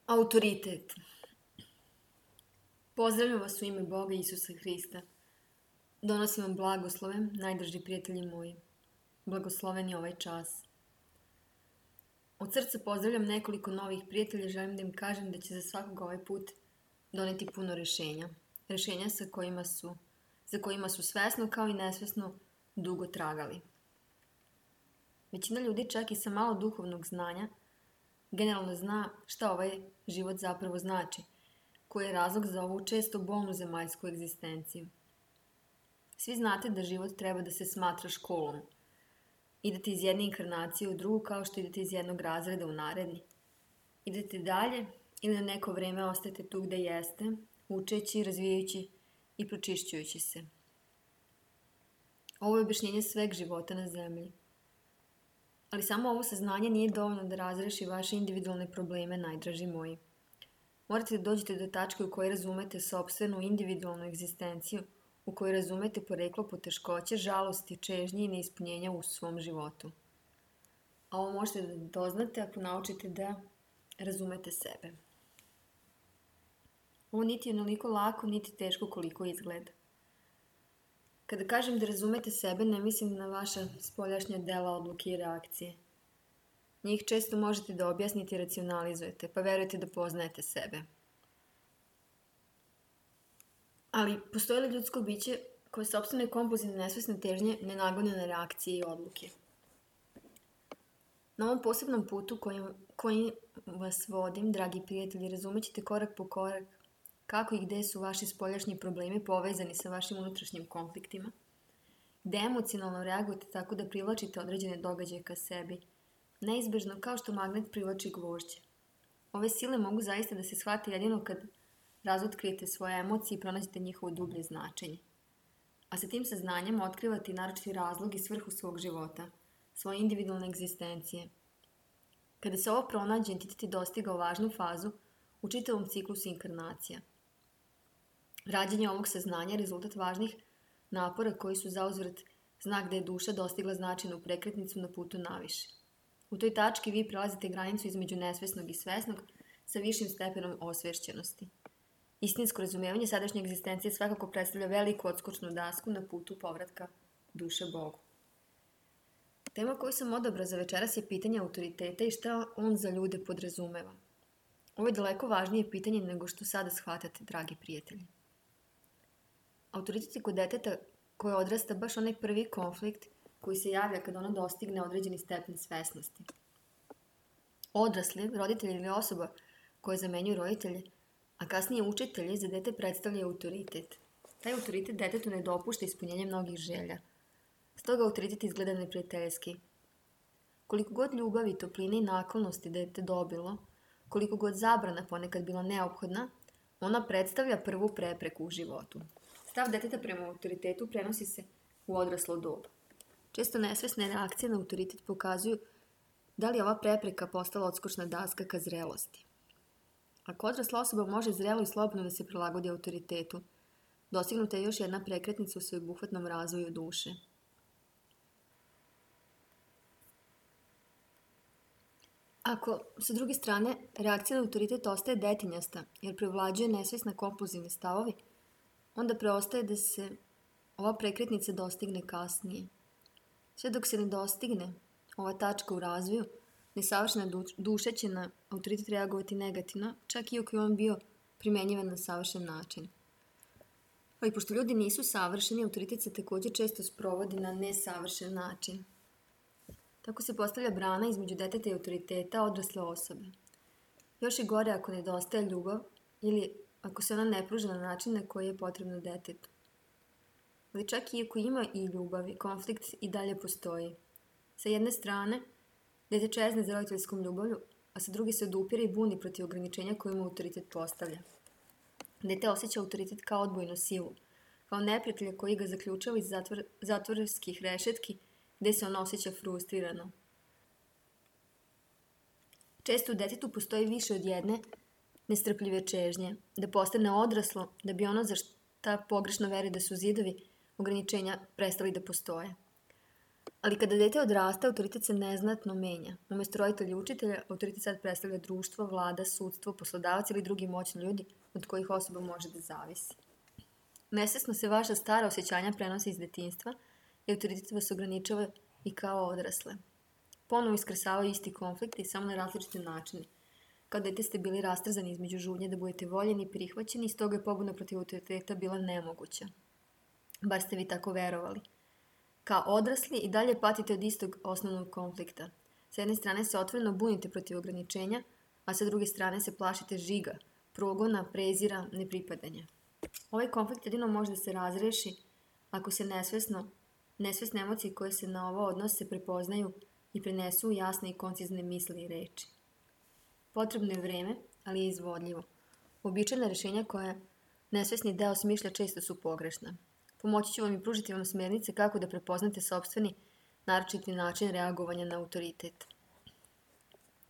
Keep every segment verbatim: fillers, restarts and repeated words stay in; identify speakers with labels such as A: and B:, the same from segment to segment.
A: Autoritet. Pozdravljam vas u ime Boga Isusa Hrista. Donosim vam blagoslove, najdraži prijatelji moji. Blagosloven je ovaj čas. Od srca pozdravljam nekoliko novih prijatelja, želim da im kažem da će za svakog ovaj put doneti puno rešenja. Rešenja sa kojima su, za kojima su svesno kao i nesvesno dugo tragali. Većina ljudi čak i sa malo duhovnog znanja generalno zna šta ovaj život zapravo znači, koji je razlog za ovu često bolnu zemaljsku egzistenciju. Svi znate da život treba da se smatra školom. Idete iz jedne inkarnacije u drugu kao što idete iz jednog razreda u naredni. Idete dalje ili na neko vreme ostajete tu gde jeste, učeći, razvijajući i pročišćujući se. Ovo je objašnjenje sveg života na zemlji. Ali samo ovo saznanje nije dovoljno da razreši vaše individualne probleme, najdraži moji. Morate da dođete do tačke u kojoj razumete sopstvenu individualnu egzistenciju, u kojoj razumete poreklo poteškoće, žalosti, čežnje i neispunjenja u svom životu. A ovo možete da doznate ako naučite da razumete sebe. Ovo niti je onoliko lako, niti teško koliko izgleda. Kada kažem da razumete sebe, ne mislim na vaša spoljašnja dela, odluke i reakcije. Njih često možete da objasnite i racionalizujete, pa verujete da poznajete sebe. Ali postoji li ljudsko biće koje sopstvene kompulzivne nesvesne težnje ne nagone na reakcije i odluke? Na ovom posebnom putu kojim, kojim vas vodim, dragi prijatelji, razumećete korak po korak kako i gde su vaši spoljašnji problemi povezani sa vašim unutrašnjim konfliktima, gde emocionalno reagujete tako da privlačite određene događaje ka sebi, neizbežno kao što magnet privlači gvožđe. Ove sile mogu zaista da se shvate jedino kad razotkrijete svoje emocije i pronađete njihovo dublje značenje. A sa tim saznanjem otkrivate i naročiti razlog i svrhu svog života, svoje individualne egzistencije. Kada se ovo pronađe, entitet je dostigao važnu fazu u čitavom ciklusu inkarnacija. Rađenje ovog saznanja je rezultat važnih napora koji su zauzvrat znak da je duša dostigla značajnu prekretnicu na putu naviše. U toj tački vi prelazite granicu između nesvesnog i svesnog sa višim stepenom osvešćenosti. Istinsko razumevanje sadašnje egzistencije svakako predstavlja veliku odskočnu dasku na putu povratka duše Bogu. Tema koju sam odabrao za večeras je pitanje autoriteta i šta on za ljude podrazumeva. Ovo je daleko važnije pitanje nego što sada shvatate, dragi prijatelji. Autoritet je kod deteta koje odrasta baš onaj prvi konflikt koji se javlja kada ono dostigne određeni stepen svesnosti. Odrasli, roditelji ili osoba koja zamenjuju roditelje, a kasnije učitelji, za dete predstavlja autoritet. Taj autoritet detetu ne dopušta ispunjenje mnogih želja. Stoga autoritet izgleda neprijateljski. Koliko god ljubavi, topline i naklonosti dete dobilo, koliko god zabrana ponekad bila neophodna, ona predstavlja prvu prepreku u životu. Stav deteta prema autoritetu prenosi se u odraslo doba. Često nesvesne reakcije na autoritet pokazuju da li je ova prepreka postala odskočna daska ka zrelosti. Ako odrasla osoba može zrelo i slobodno da se prilagodi autoritetu, dostignuta je još jedna prekretnica u sveobuhvatnom razvoju duše. Ako, sa druge strane, reakcija na autoritet ostaje detinjasta jer prevlađuje nesvesna kompulzivne stavovi, onda preostaje da se ova prekretnica dostigne kasnije. Sve dok se ne dostigne ova tačka u razvoju, nesavršena duša će na autoritet reagovati negativno, čak i ako je on bio primenjivan na savršen način. Ali pošto ljudi nisu savršeni, autoritet se također često sprovodi na nesavršen način. Tako se postavlja brana između deteta i autoriteta odrasle osobe. Još je gore ako nedostaje ljubav ili ako se ona ne pruža na način na koji je potrebno detetu. Ali čak i ako ima i ljubav, konflikt i dalje postoji. Sa jedne strane, dete čezne za roditeljskom ljubavlju, a sa druge se odupire i buni protiv ograničenja koje mu autoritet postavlja. Dete osjeća autoritet kao odbojnu silu, kao neprijatelja koji ga zaključava iz zatvor, zatvorskih rešetki gde se ono osjeća frustrirano. Često u detetu postoji više od jedne nestrpljive čežnje, da postane odraslo, da bi ono za šta pogrešno veri da su zidovi ograničenja prestali da postoje. Ali kada dete odrasta, autoritet se neznatno menja. Umjesto roditelja i učitelja, autoritet sad predstavlja društvo, vlada, sudstvo, poslodavac ili drugi moćni ljudi od kojih osoba može da zavisi. Nesvesno se vaša stara osjećanja prenose iz detinjstva i autoritet vas ograničava i kao odrasle. Ponovo iskrsavaju isti konflikti, samo na različite načine. Kao dete ste bili rastrzani između žudnje da budete voljeni i prihvaćeni i stoga je pobuna protiv autoriteta bila nemoguća. Bar ste vi tako verovali. Kao odrasli i dalje patite od istog osnovnog konflikta. S jedne strane se otvoreno bunite protiv ograničenja, a sa druge strane se plašite žiga, progona, prezira, nepripadanja. Ovaj konflikt jedino može da se razreši ako se nesvesno, nesvesne emocije koje se na ovo odnose prepoznaju i prenesu u jasne i koncizne misli i reči. Potrebno je vreme, ali je izvodljivo. Uobičajena rešenja koja nesvesni deo smišlja često su pogrešna. Pomoći ću vam i pružiti vam smjernice kako da prepoznate sopstveni naročiti način reagovanja na autoritet.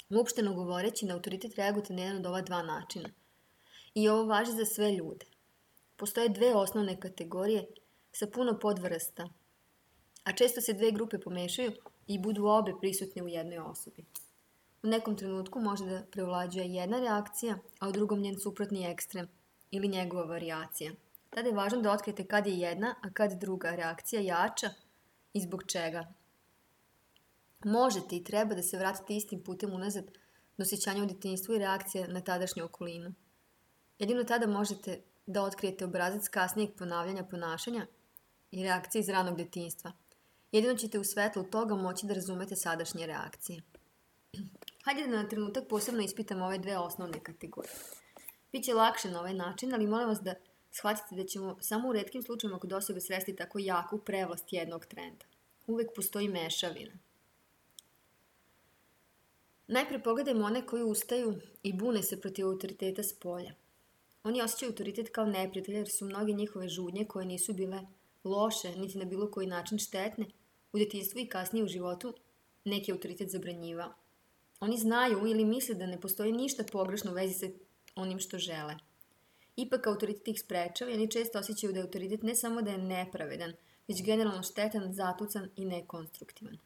A: Uopšteno govoreći, na autoritet reagujete na jedan od ova dva načina. I ovo važi za sve ljude. Postoje dve osnovne kategorije sa puno podvrsta, a često se dve grupe pomešaju i budu obe prisutne u jednoj osobi. U nekom trenutku može da prevlađuje jedna reakcija, a u drugom njen suprotni ekstrem ili njegova varijacija. Tada je važno da otkrijete kad je jedna, a kad druga reakcija jača i zbog čega. Možete i treba da se vratite istim putem unazad do osjećanja u detinjstvu i reakcija na tadašnju okolinu. Jedino tada možete da otkrijete obrazac kasnijeg ponavljanja ponašanja i reakcije iz ranog detinjstva. Jedino ćete u svetlu toga moći da razumete sadašnje reakcije. Hajde da na trenutak posebno ispitamo ove dve osnovne kategorije. Biće lakše na ovaj način, ali molim vas da shvatite da ćemo samo u retkim slučajima kod osobe sresti tako jaku prevlast jednog trenda. Uvek postoji mešavina. Najpre pogledajmo one koji ustaju i bune se protiv autoriteta s polja. Oni osjećaju autoritet kao neprijatelja jer su mnoge njihove žudnje koje nisu bile loše, niti na bilo koji način štetne, u detinjstvu i kasnije u životu neki autoritet zabranjivao. Oni znaju ili misle da ne postoji ništa pogrešno u vezi sa onim što žele. Ipak autoritet ih sprečava i oni često osjećaju da je autoritet ne samo da je nepravedan, već generalno štetan, zatucan i nekonstruktivan.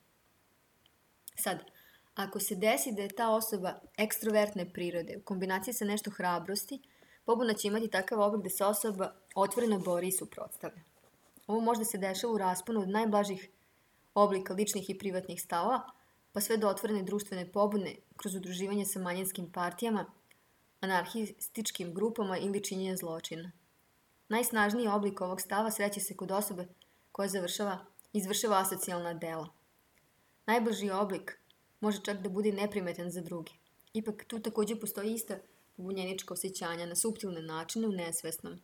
A: Sad, ako se desi da je ta osoba ekstrovertne prirode u kombinaciji sa nešto hrabrosti, pobuna će imati takav oblik da se osoba otvoreno bori i suprotstavlja. Ovo možda se dešava u rasponu od najblažih oblika ličnih i privatnih stavova, pa sve do otvorene društvene pobune kroz udruživanje sa manjinskim partijama, anarhističkim grupama ili činjenja zločina. Najsnažniji oblik ovog stava sreće se kod osobe koja završava, izvršava asocijalna dela. Najblaži oblik može čak da bude neprimetan za druge. Ipak tu također postoji ista pobunjenička osjećanja na suptilne načine u nesvesnom.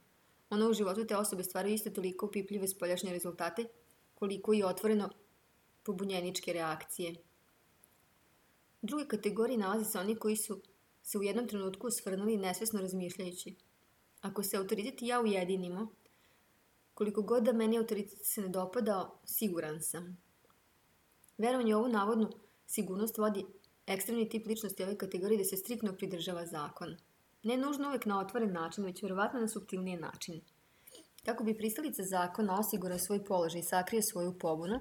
A: Ono u životu te osobe stvaraju isto toliko opipljive spoljašnje rezultate koliko i otvoreno pobunjeničke reakcije. U drugoj kategoriji nalaze se oni koji su se u jednom trenutku osvrnuli nesvesno razmišljajući. Ako se autoritet i ja ujedinimo, koliko god da meni autoritet se ne dopadao, siguran sam. Verovanje u ovu navodnu sigurnost vodi ekstremni tip ličnosti ove kategorije da se striktno pridržava zakona. Ne nužno uvek na otvoren način, već verovatno na suptilnije načine. Kako bi pristalica zakona osigurao svoj položaj i sakrio svoju pobunu,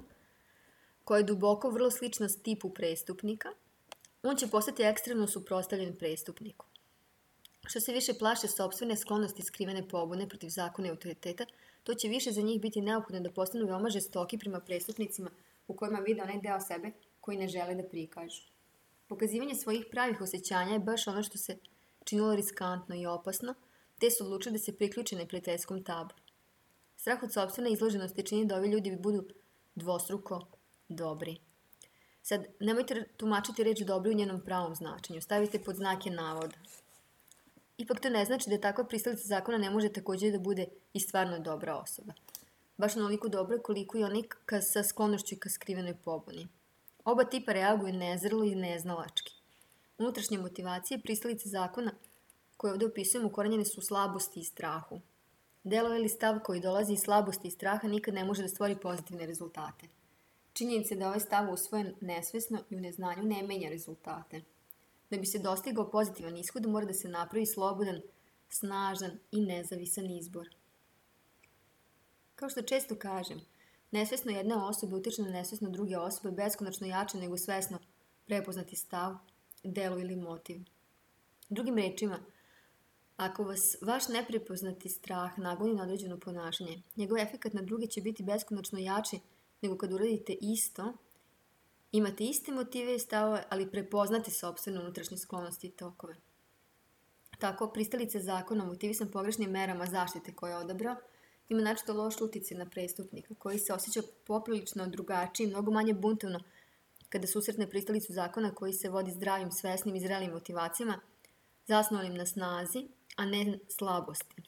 A: koja je duboko vrlo slična tipu prestupnika, on će postati ekstremno suprotstavljen prestupniku. Što se više plaše sopstvene sklonosti skrivene pobune protiv zakona i autoriteta, to će više za njih biti neophodno da postanu veoma žestoki prema prestupnicima u kojima vide onaj deo sebe koji ne žele da prikažu. Pokazivanje svojih pravih osjećanja je baš ono što se činilo riskantno i opasno, te su odlučili da se priključe neprijateljskom taboru. Strah od sopstvene izloženosti čini da ovi ljudi budu dvostruko dobri. Sad, nemojte tumačiti reč dobri u njenom pravom značenju, stavite pod znake navoda. Ipak to ne znači da takva pristalica zakona ne može također da bude i stvarno dobra osoba. Baš onoliko dobra koliko i onik sa sklonošću ka skrivenoj pobuni. Oba tipa reaguju nezrelo i neznalački. Unutrašnje motivacije pristalice zakona koje ovdje opisujemo ukorenjene su u slabosti i strahu. Delo ili stav koji dolazi iz slabosti i straha nikad ne može da stvori pozitivne rezultate. Činjenica je da ovaj stav usvojen nesvesno i u neznanju ne menja rezultate. Da bi se dostigao pozitivan ishod, mora da se napravi slobodan, snažan i nezavisan izbor. Kao što često kažem, Nesvesno jedne osobe utiče na nesvesno druge osobe beskonačno jače nego svesno prepoznati stav, delo ili motiv. Drugim rečima, ako vas vaš neprepoznati strah nagoni na određeno ponašanje, njegov efekat na druge će biti beskonačno jači nego kad uradite isto, imate iste motive i stavove, ali prepoznate sopstvene unutrašnje sklonosti i tokove. Tako, pristalice zakona motivisan pogrešnim merama zaštite koje je odabrao, ima načito loš uticaj na prestupnika, koji se osjeća poprilično drugačiji, mnogo manje buntovno kada susretne pristalicu zakona koji se vodi zdravim, svesnim i zrelim motivacijama, zasnovanim na snazi, a ne slabosti.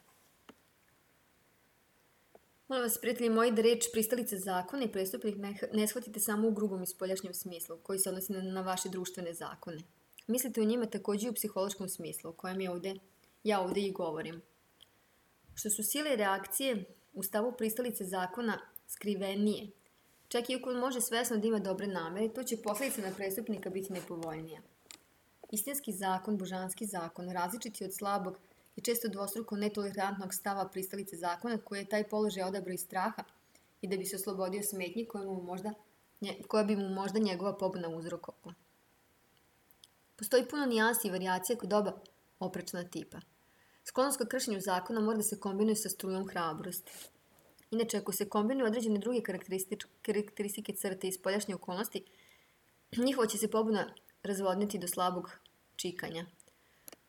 A: Molim vas, prijatelji moji, da reč pristalice zakona i prestupnik ne, ne shvatite samo u grubom i spoljašnjem smislu, koji se odnosi na, na vaše društvene zakone. Mislite o njima takođe i u psihološkom smislu, o kojem je ovde, ja ovde i govorim. Što su sile i reakcije u stavu pristalice zakona skrivenije, čak i ako on može svesno da ima dobre namere, to će posledica na prestupnika biti nepovoljnija. Istinski zakon, božanski zakon, različiti od slabog i često dvostruko netolerantnog stava pristalice zakona koji je taj položaj odabrao iz straha i da bi se oslobodio smetnji koja, mu možda, koja bi mu možda njegova pobuna uzrokovala. Postoji puno nijansi i varijacija kod oba oprečna tipa. Sklonost ka kršenju zakona mora da se kombinuje sa strujom hrabrosti. Inače, ako se kombinuju određene druge karakteristike crte i spoljašnje okolnosti, njihova će se pobuna razvodniti do slabog čikanja.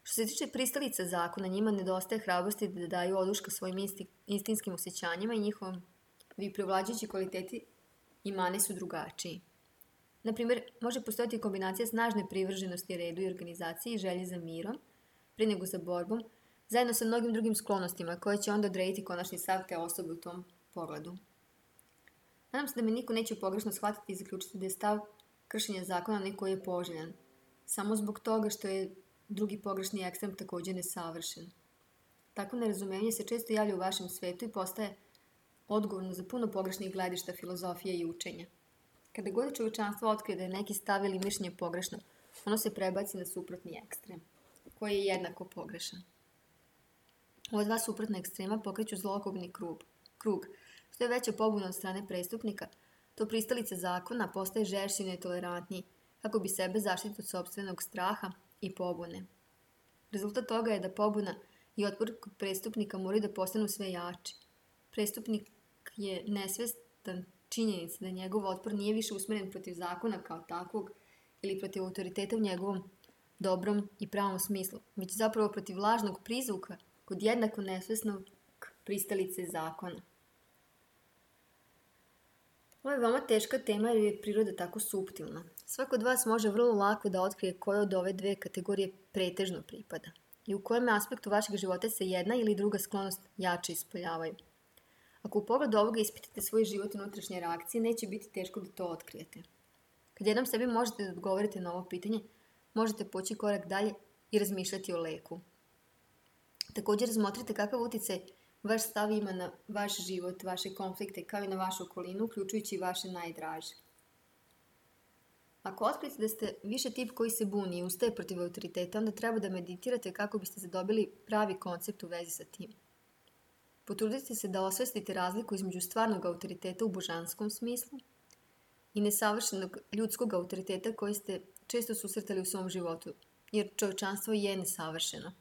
A: Što se tiče pristalica zakona, njima nedostaje hrabrosti da daju oduška svojim insti, instinskim osjećanjima i njihovom vi prevlađujući kvaliteti i mane su drugačiji. Naprimjer, može postojati kombinacija snažne privrženosti redu i organizaciji i želje za mirom, pre nego za borbom, zajedno sa mnogim drugim sklonostima koje će onda odrediti konačni stav te osobe u tom pogledu. Nadam se da me niko neće pogrešno shvatiti i zaključiti da je stav kršenja zakona neko je poželjan, samo zbog toga što je drugi pogrešni ekstrem takođe nesavršen. Takvo nerazumevanje se često javlja u vašem svetu i postaje odgovorno za puno pogrešnih gledišta, filozofije i učenja. Kada god čovječanstvo otkrije da je neki stav ili mišljenje pogrešno, ono se prebaci na suprotni ekstrem, koji je jednako pogrešan. Ova dva suprotna ekstrema pokreću zlokobni krug. krug. Što je veća pobuna od strane prestupnika, to pristalica zakona postaje žešći i netolerantniji, kako bi sebe zaštitio od sopstvenog straha i pobune. Rezultat toga je da pobuna i otpor kod prestupnika moraju da postanu sve jači. Prestupnik je nesvestan činjenica da njegov otpor nije više usmeren protiv zakona kao takvog ili protiv autoriteta u njegovom dobrom i pravom smislu, već zapravo protiv lažnog prizvuka kod jednako nesvesnog pristalice zakona. Ovo je veoma teška tema jer je priroda tako suptilna. Svako od vas može vrlo lako da otkrije koje od ove dve kategorije pretežno pripada i u kojem aspektu vašeg života se jedna ili druga sklonost jače ispoljavaju. Ako u pogledu ovoga ispitate svoj život i unutrašnje reakcije, neće biti teško da to otkrijete. Kad jednom sebi možete da odgovorite na ovo pitanje, možete poći korak dalje i razmišljati o leku. Također razmotrite kakav uticaj vaš stav ima na vaš život, vaše konflikte, kao i na vašu okolinu, uključujući i vaše najdraže. Ako otkrijete da ste više tip koji se buni i ustaje protiv autoriteta, onda treba da meditirate kako biste zadobili pravi koncept u vezi sa tim. Potrudite se da osvestite razliku između stvarnog autoriteta u božanskom smislu i nesavršenog ljudskog autoriteta koji ste često susretali u svom životu, jer čovječanstvo je nesavršeno.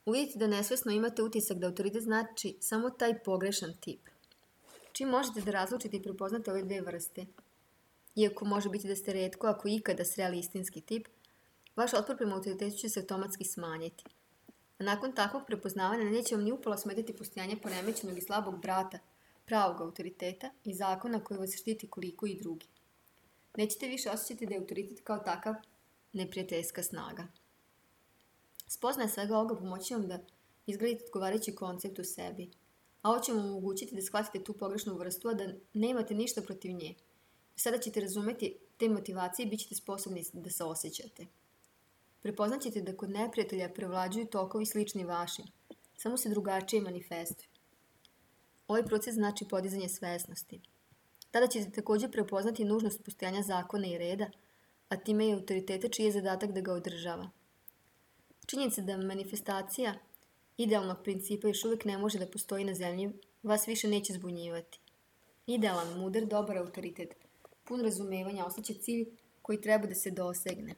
A: Uvidite da nesvesno imate utisak da autoritet znači samo taj pogrešan tip. Čim možete da razlučite i prepoznate ove dve vrste, iako može biti da ste retko, ako ikada sreli istinski tip, vaš otpor prema autoritetu će se automatski smanjiti. A nakon takvog prepoznavanja neće vam ni upola smetati postojanje poremećenog i slabog brata, pravog autoriteta i zakona koji vas štiti koliko i drugi. Nećete više osjećati da je autoritet kao takav neprijateljska snaga. Spoznaje svega ovoga pomoći vam da izgradite odgovarajući koncept u sebi, a ovo će vam omogućiti da shvatite tu pogrešnu vrstu, a da nemate ništa protiv nje. Sada ćete razumeti te motivacije i bit ćete sposobni da se osjećate. Prepoznaćete da kod neprijatelja prevlađuju tokovi slični vašim, samo se drugačije manifestuju. Ovaj proces znači podizanje svesnosti. Tada ćete također prepoznati nužnost postojanja zakona i reda, a time i autoriteta čiji je zadatak da ga održava. Činjenica da manifestacija idealnog principa još uvijek ne može da postoji na zemlji vas više neće zbunjivati. Idealan, mudar, dobar autoritet, pun razumevanja, ostaće cilj koji treba da se dosegne.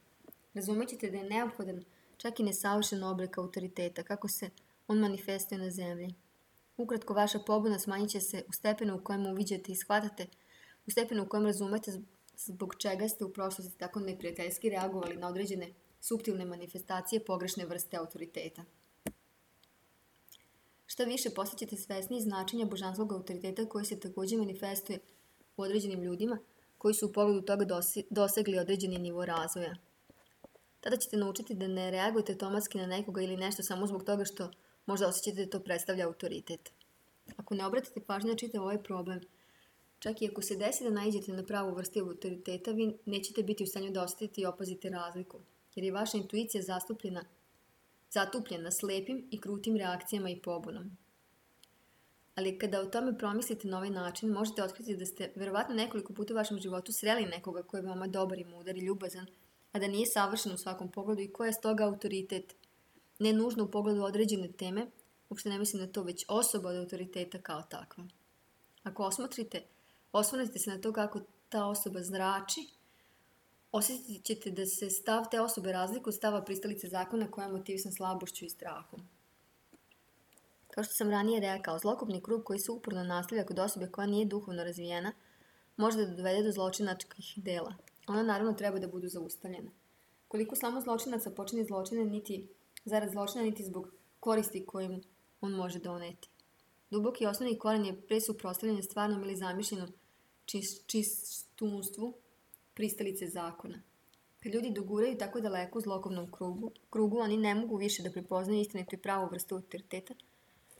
A: Razumećete da je neophodan čak i nesavršen oblik autoriteta, kako se on manifestuje na zemlji. Ukratko, vaša pobuna smanjit će se u stepenu u kojem uviđate i shvatate, u stepenu u kojem razumete zbog čega ste u prošlosti tako neprijateljski reagovali na određene suptilne manifestacije pogrešne vrste autoriteta. Šta više, postaćete svesni značenja božanskog autoriteta koji se takođe manifestuje u određenim ljudima koji su u pogledu toga dosegli određeni nivo razvoja. Tada ćete naučiti da ne reagujete automatski na nekoga ili nešto samo zbog toga što možda osjećate da to predstavlja autoritet. Ako ne obratite pažnju na čitav ovaj problem, čak i ako se desi da naiđete na pravu vrstu autoriteta, vi nećete biti u stanju da osetite i opazite razliku, jer je vaša intuicija zastupljena zatupljena slepim i krutim reakcijama i pobunom. Ali kada o tome promislite na ovaj način, možete otkriti da ste verovatno nekoliko puta u vašem životu sreli nekoga koji je veoma dobar i mudar i ljubazan, a da nije savršen u svakom pogledu i ko je stoga autoritet. Ne nužno u pogledu određene teme, uopšte ne mislim na to, već osoba od autoriteta kao takva. Ako osmotrite, osvrnete se na to kako ta osoba zrači, osjetit ćete da se stav te osobe razlikuje od stava pristalice zakona koja je motivisan slabošću i strahom. Kao što sam ranije rekao, zlokobni krug koji se uporno nastavlja kod osobe koja nije duhovno razvijena može da dovede do zločinačkih dela. Ona naravno treba da budu zaustavljena. Koliko samo zločinaca počini zločine niti zarad zločina, niti zbog koristi kojim on može doneti. Duboki osnovni koren je pre suprotstavljanje stvarnom ili zamišljenom čistunstvu pristalice zakona. Kad ljudi doguraju tako daleko u zlokobnom krugu, krugu, oni ne mogu više da prepoznaju istinitu i pravu vrstu autoriteta,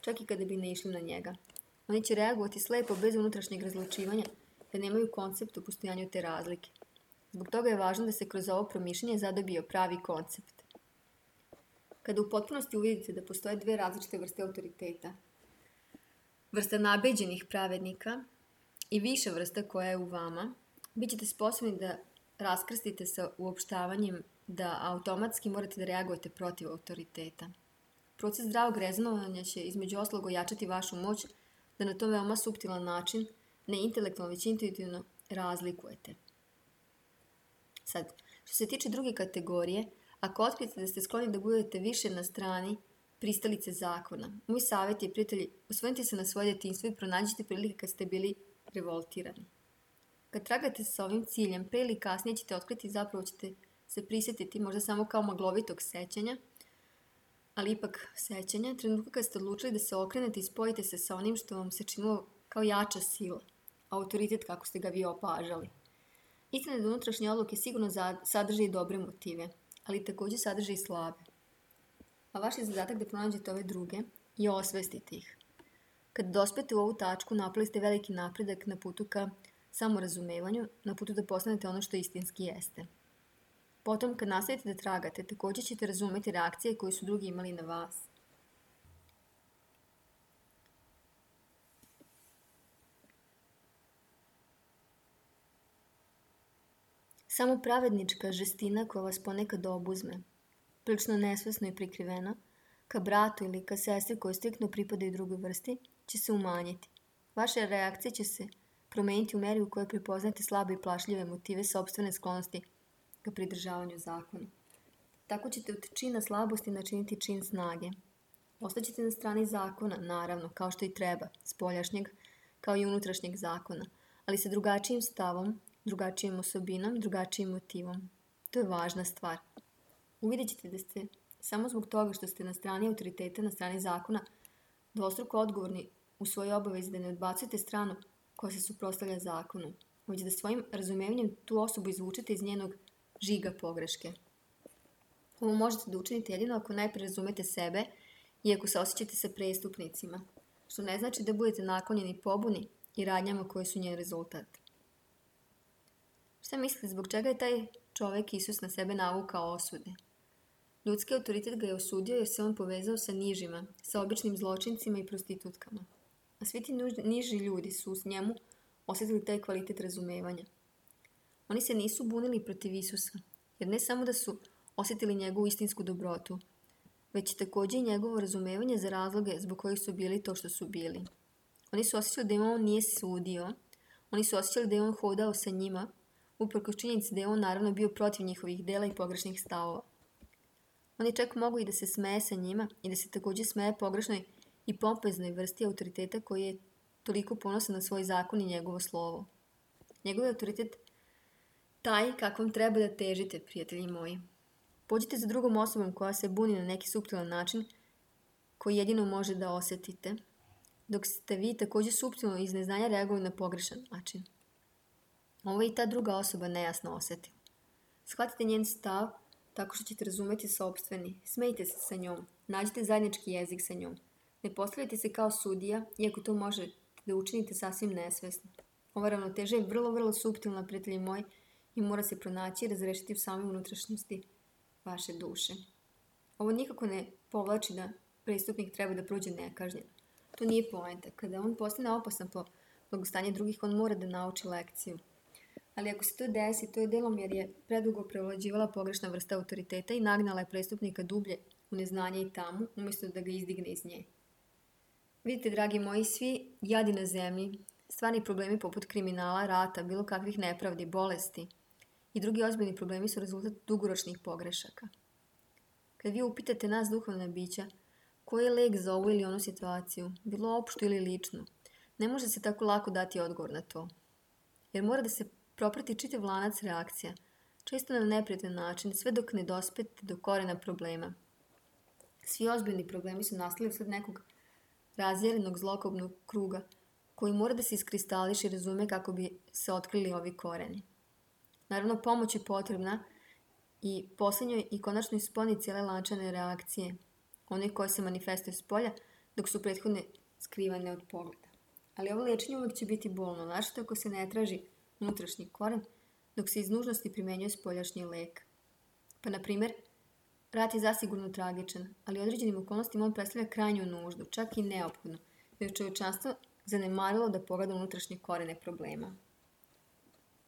A: čak i kada bi ne išli na njega. Oni će reagovati slepo bez unutrašnjeg razlučivanja, da nemaju koncept o postojanju te razlike. Zbog toga je važno da se kroz ovo promišljanje zadobio pravi koncept. Kada u potpunosti uvidite da postoje dve različite vrste autoriteta, vrsta nabeđenih pravednika i viša vrsta koja je u vama, bit ćete sposobni da raskrstite sa uopštavanjem da automatski morate da reagujete protiv autoriteta. Proces zdravog rezonovanja će između ostalog ojačati vašu moć da na to veoma suptilan način, ne intelektualno već intuitivno, razlikujete. Sad, što se tiče druge kategorije, ako otkrijete da ste skloni da budete više na strani pristalice zakona, moj savjet je, prijatelji, osvrnite se na svoje detinjstvo i pronađite prilike kad ste bili revoltirani. Kad tragate sa ovim ciljem, pre ili kasnije ćete otkriti, zapravo ćete se prisjetiti možda samo kao maglovitog sećanja, ali ipak sećanja, trenutka kad ste odlučili da se okrenete i spojite se sa onim što vam se činilo kao jača sila, autoritet kako ste ga vi opažali. Istina je da unutrašnje odluke sigurno sadrže i dobre motive, ali takođe sadrže i slabe. A vaš je zadatak da pronađete ove druge i osvestite ih. Kad dospete u ovu tačku, napali ste veliki napredak na putu ka samorazumevanju, na putu da postanete ono što istinski jeste. Potom, kad nastavite da tragate, takođe ćete razumeti reakcije koje su drugi imali na vas. Samo pravednička žestina koja vas ponekad obuzme, prilično nesvesno i prikrivena, ka bratu ili ka sestri koji striktno pripadaju drugoj vrsti, će se umanjiti. Vaše reakcije će se promeniti u meri u kojoj prepoznate slabe i plašljive motive sopstvene sklonosti ka pridržavanju zakona. Tako ćete od čina slabosti načiniti čin snage. Ostaćete na strani zakona, naravno, kao što i treba, spoljašnjeg kao i unutrašnjeg zakona, ali sa drugačijim stavom, drugačijim osobinom, drugačijim motivom. To je važna stvar. Uvidjet ćete da ste, samo zbog toga što ste na strani autoriteta, na strani zakona, dvostruko odgovorni u svojoj obavezi da ne odbacujete stranu koja se suprotstavlja zakonu, već da svojim razumevanjem tu osobu izvučete iz njenog žiga pogreške. Ovo možete da učinite jedino ako najpre razumete sebe i ako se osjećate sa prestupnicima, što ne znači da budete naklonjeni pobuni i radnjama koje su njen rezultat. Šta mislite, zbog čega je taj čovek Isus na sebe navukao osude? Ljudski autoritet ga je osudio jer se on povezao sa nižima, sa običnim zločincima i prostitutkama. A svi ti niži ljudi su s njemu osjetili taj kvalitet razumevanja. Oni se nisu bunili protiv Isusa, jer ne samo da su osjetili njegovu istinsku dobrotu, već takođe i njegovo razumevanje za razloge zbog kojih su bili to što su bili. Oni su osjećali da im on nije sudio, Oni su osjećali da je on hodao sa njima, uprkos činjenici da je on naravno bio protiv njihovih dela i pogrešnih stavova. On je čak mogao i da se smeje sa njima i da se također smeje pogrešnoj i pompeznoj vrsti autoriteta koji je toliko ponosan na svoj zakon i njegovo slovo. Njegov je autoritet taj kakvom treba da težite, prijatelji moji. Pođite za drugom osobom koja se buni na neki suptilan način koji jedino može da osjetite, dok ste vi također suptilno iz neznanja reagovali na pogrešan način. Ovo je i ta druga osoba nejasno osjetila. Shvatite njen stav tako što ćete razumeti sopstveni. Smejte se sa njom. Nađite zajednički jezik sa njom. Ne postavljajte se kao sudija, iako to možete da učinite sasvim nesvesno. Ova ravnoteža je vrlo, vrlo suptilna, prijatelji moji, i mora se pronaći i razrešiti u samoj unutrašnjosti vaše duše. Ovo nikako ne povlači da prestupnik treba da prođe nekažnjen. To nije poenta. Kada on postane opasan po blagostanje drugih, on mora da nauči lekciju. Ali ako se to desi, to je delom jer je predugo prevlađivala pogrešna vrsta autoriteta i nagnala je prestupnika dublje u neznanje i tamu, umjesto da ga izdigne iz nje. Vidite, dragi moji, svi jadi na zemlji, stvarni problemi poput kriminala, rata, bilo kakvih nepravdi, bolesti i drugi ozbiljni problemi su rezultat dugoročnih pogrešaka. Kad vi upitate nas duhovna bića, koji je lek za ovu ili onu situaciju, bilo opštu ili ličnu, ne može se tako lako dati odgovor na to. Jer mora da se proprati čitav lanac reakcija, često na neprijatan način, sve dok ne dospete do korena problema. Svi ozbiljni problemi su nastali usled nekog razjeljenog zlokobnog kruga, koji mora da se iskristališe i razume kako bi se otkrili ovi koreni. Naravno, pomoć je potrebna i posljednjoj i konačno isponi cijele lančane reakcije, one koje se manifestuju s polja, dok su prethodne skrivane od pogleda. Ali ovo liječenje uvijek će biti bolno, našto ako se ne traži unutrašnji koren, dok se iz nužnosti primenjuje spoljašnji lek. Pa, na primjer, rat je zasigurno tragičan, ali određenim okolnostima on predstavlja krajnju nuždu, čak i neophodno, jer je čovječanstvo zanemarilo da pogleda unutrašnje korene problema.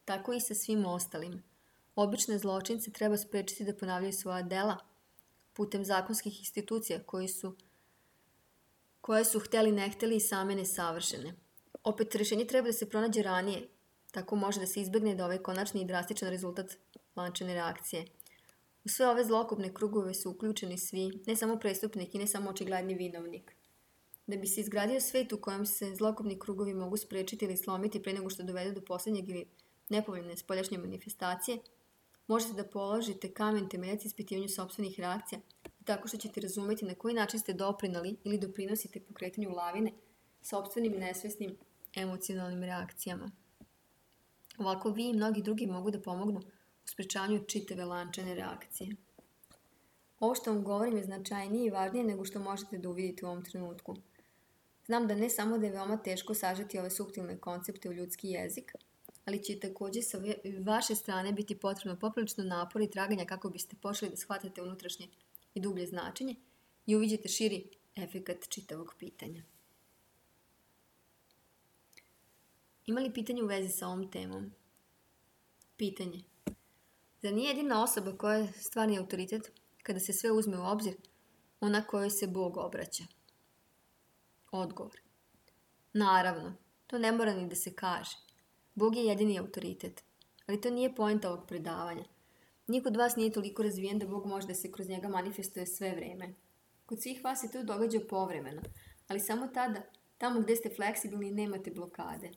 A: Tako i sa svim ostalim. Obične zločince treba sprečiti da ponavljaju svoja dela putem zakonskih institucija koji su, koje su hteli ne hteli i same nesavršene. Opet, rješenje treba da se pronađe ranije, tako može da se izbjegne da ovaj konačni i drastičan rezultat lančane reakcije. U sve ove zlokobne krugove su uključeni svi, ne samo prestupnik i ne samo očigledni vinovnik. Da bi se izgradio svet u kojem se zlokobni krugovi mogu sprečiti ili slomiti pre nego što dovedu do posljednjeg ili nepovoljne spoljašnje manifestacije, možete da položite kamen temeljac ispitivanju sopstvenih reakcija, tako što ćete razumeti na koji način ste doprinali ili doprinosite pokretanju lavine sopstvenim nesvesnim emocionalnim reakcijama. Ovako vi i mnogi drugi mogu da pomognu u sprečavanju čitave lančane reakcije. Ovo što vam govorim je značajnije i važnije nego što možete da uvidite u ovom trenutku. Znam da ne samo da je veoma teško sažeti ove suptilne koncepte u ljudski jezik, ali će također sa vaše strane biti potrebno poprilično napor i traganja kako biste počeli da shvatate unutrašnje i dublje značenje i uviđete širi efekat čitavog pitanja. Ima li pitanje u vezi sa ovom temom? Pitanje. Zar nije jedina osoba koja je stvarni autoritet, kada se sve uzme u obzir, ona kojoj se Bog obraća? Odgovor. Naravno, to ne mora ni da se kaže. Bog je jedini autoritet, ali to nije poenta ovog predavanja. Niko od vas nije toliko razvijen da Bog može da se kroz njega manifestuje sve vreme. Kod svih vas se to događa povremeno, ali samo tada, tamo gdje ste fleksibilni i nemate blokade.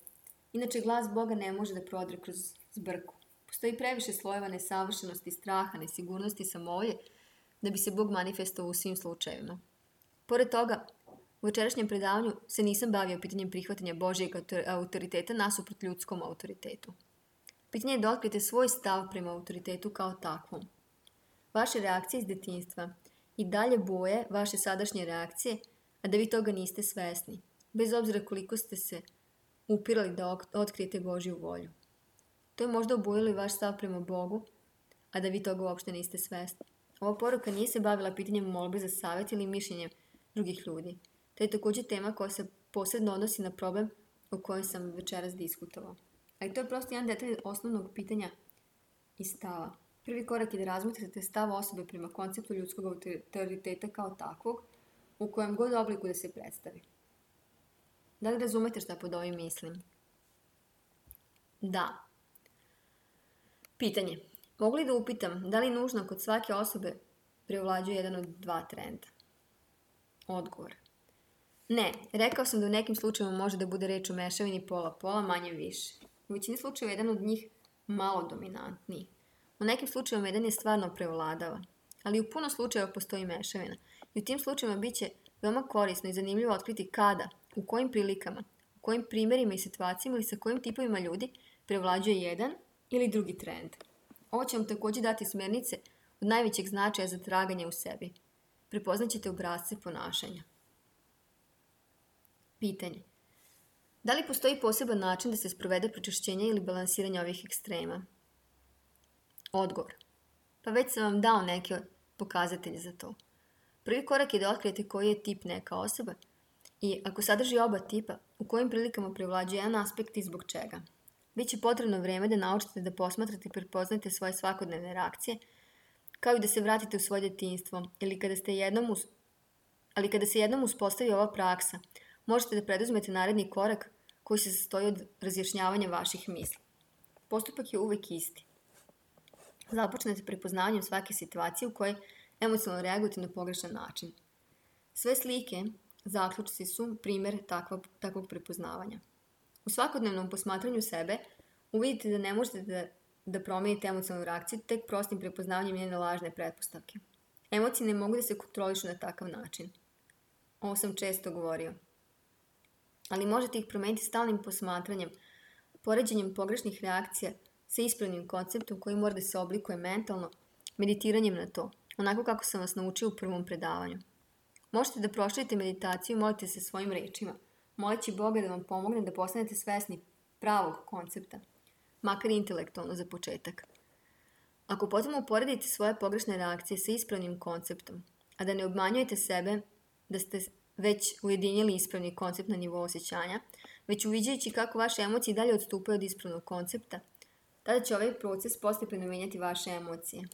A: Inače, glas Boga ne može da prodre kroz zbrku. Postoji previše slojeva nesavršenosti, straha, nesigurnosti i samovolje da bi se Bog manifestovao u svim slučajevima. Pored toga, u večerašnjem predavanju se nisam bavio pitanjem prihvatanja Božjeg autoriteta nasuprot ljudskom autoritetu. Pitanje je da otkrijete svoj stav prema autoritetu kao takvom. Vaše reakcije iz detinjstva i dalje boje vaše sadašnje reakcije, a da vi toga niste svesni, bez obzira koliko ste se upirali da otkrijete Božju volju. To je možda obojilo i vaš stav prema Bogu, a da vi toga uopšte niste svesni. Ova poruka nije se bavila pitanjem molbe za savjet ili mišljenjem drugih ljudi. To je također tema koja se posebno odnosi na problem o kojem sam večeras diskutovao. Ali to je prosto jedan detalj osnovnog pitanja i stava. Prvi korak je da razmotrite stav osobe prema konceptu ljudskog autoriteta kao takvog, u kojem god obliku da se predstavi. Da li razumete šta pod ovim mislim? Da. Pitanje. Mogu li da upitam da li nužno kod svake osobe prevlađuje jedan od dva trenda? Odgovor. Ne, rekao sam da u nekim slučajevima može da bude reč o mešavini pola-pola, manje više. U većini slučajeva jedan od njih malo dominantniji. U nekim slučajevima jedan je stvarno prevladava, ali u puno slučajeva postoji mešavina. I u tim slučajevima bit će veoma korisno i zanimljivo otkriti kada, u kojim prilikama, u kojim primjerima i situacijama ili sa kojim tipovima ljudi prevlađuje jedan ili drugi trend. Ovo će vam također dati smjernice od najvećeg značaja za traganje u sebi. Prepoznaćete obrasce ponašanja. Pitanje. Da li postoji poseban način da se sprovede pročišćenje ili balansiranje ovih ekstrema? Odgovor. Pa već sam vam dao neke pokazatelje za to. Prvi korak je da otkrijete koji je tip neka osoba i ako sadrži oba tipa, u kojim prilikama prevlađuje jedan aspekt i zbog čega. Biće potrebno vreme da naučite da posmatrate i prepoznate svoje svakodnevne reakcije, kao i da se vratite u svoje djetinjstvo, ili kada ste jednom us... ali kada se jednom uspostavi ova praksa, možete da preduzmete naredni korak koji se sastoji od razjašnjavanja vaših misli. Postupak je uvek isti. Započnete prepoznavanjem svake situacije u kojoj emocionalno reagujete na pogrešan način. Sve slike, zaključci su primjer takvog, takvog prepoznavanja. U svakodnevnom posmatranju sebe uvidite da ne možete da, da promijenite emocionalnu reakciju tek prostim prepoznavanjem njene lažne pretpostavke. Emocije ne mogu da se kontrolišu na takav način. Ovo sam često govorio. Ali možete ih promijeniti stalnim posmatranjem, poređenjem pogrešnih reakcija sa ispravnim konceptom koji mora da se oblikuje mentalno, meditiranjem na to, onako kako sam vas naučio u prvom predavanju. Možete da proširite meditaciju i molite se svojim rečima, moleći Boga da vam pomogne da postanete svesni pravog koncepta, makar intelektualno za početak. Ako potom uporedite svoje pogrešne reakcije sa ispravnim konceptom, a da ne obmanjujete sebe da ste već ujedinjili ispravni koncept na nivou osjećanja, već uviđajući kako vaše emocije dalje odstupaju od ispravnog koncepta, tada će ovaj proces postepeno menjati vaše emocije.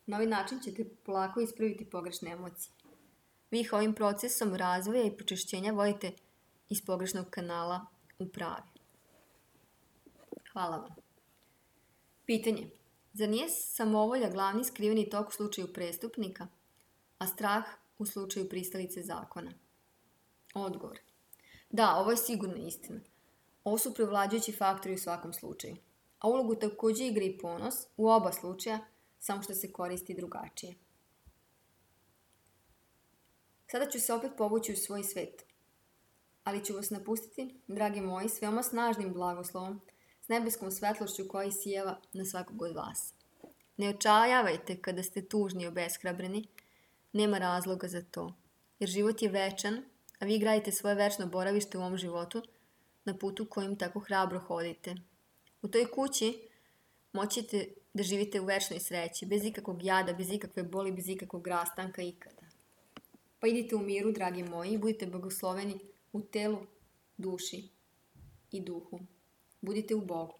A: Na ovaj način ćete polako ispraviti pogrešne emocije. Vi ih ovim procesom razvoja i pročišćenja vodite iz pogrešnog kanala u pravi. Hvala vam. Pitanje. Zar nije samovolja glavni skriveni tok u slučaju prestupnika, a strah u slučaju pristalice zakona? Odgovor. Da, ovo je sigurno istina. Ovo su prevlađujući faktori u svakom slučaju. A ulogu također igra i ponos u oba slučaja, samo što se koristi drugačije. Sada ću se opet povući u svoj svet. Ali ću vas napustiti, dragi moji, s veoma snažnim blagoslovom, s nebeskom svetlošću koja sijeva na svakog od vas. Ne očajavajte kada ste tužni i obeshrabreni, nema razloga za to, jer život je večan, a vi gradite svoje večno boravište u ovom životu na putu kojim tako hrabro hodite. U toj kući moćete da živite u večnoj sreći, bez ikakvog jada, bez ikakve boli, bez ikakvog rastanka ikada. Pa idite u miru, dragi moji, i budite blagosloveni u telu, duši i duhu. Budite u Bogu.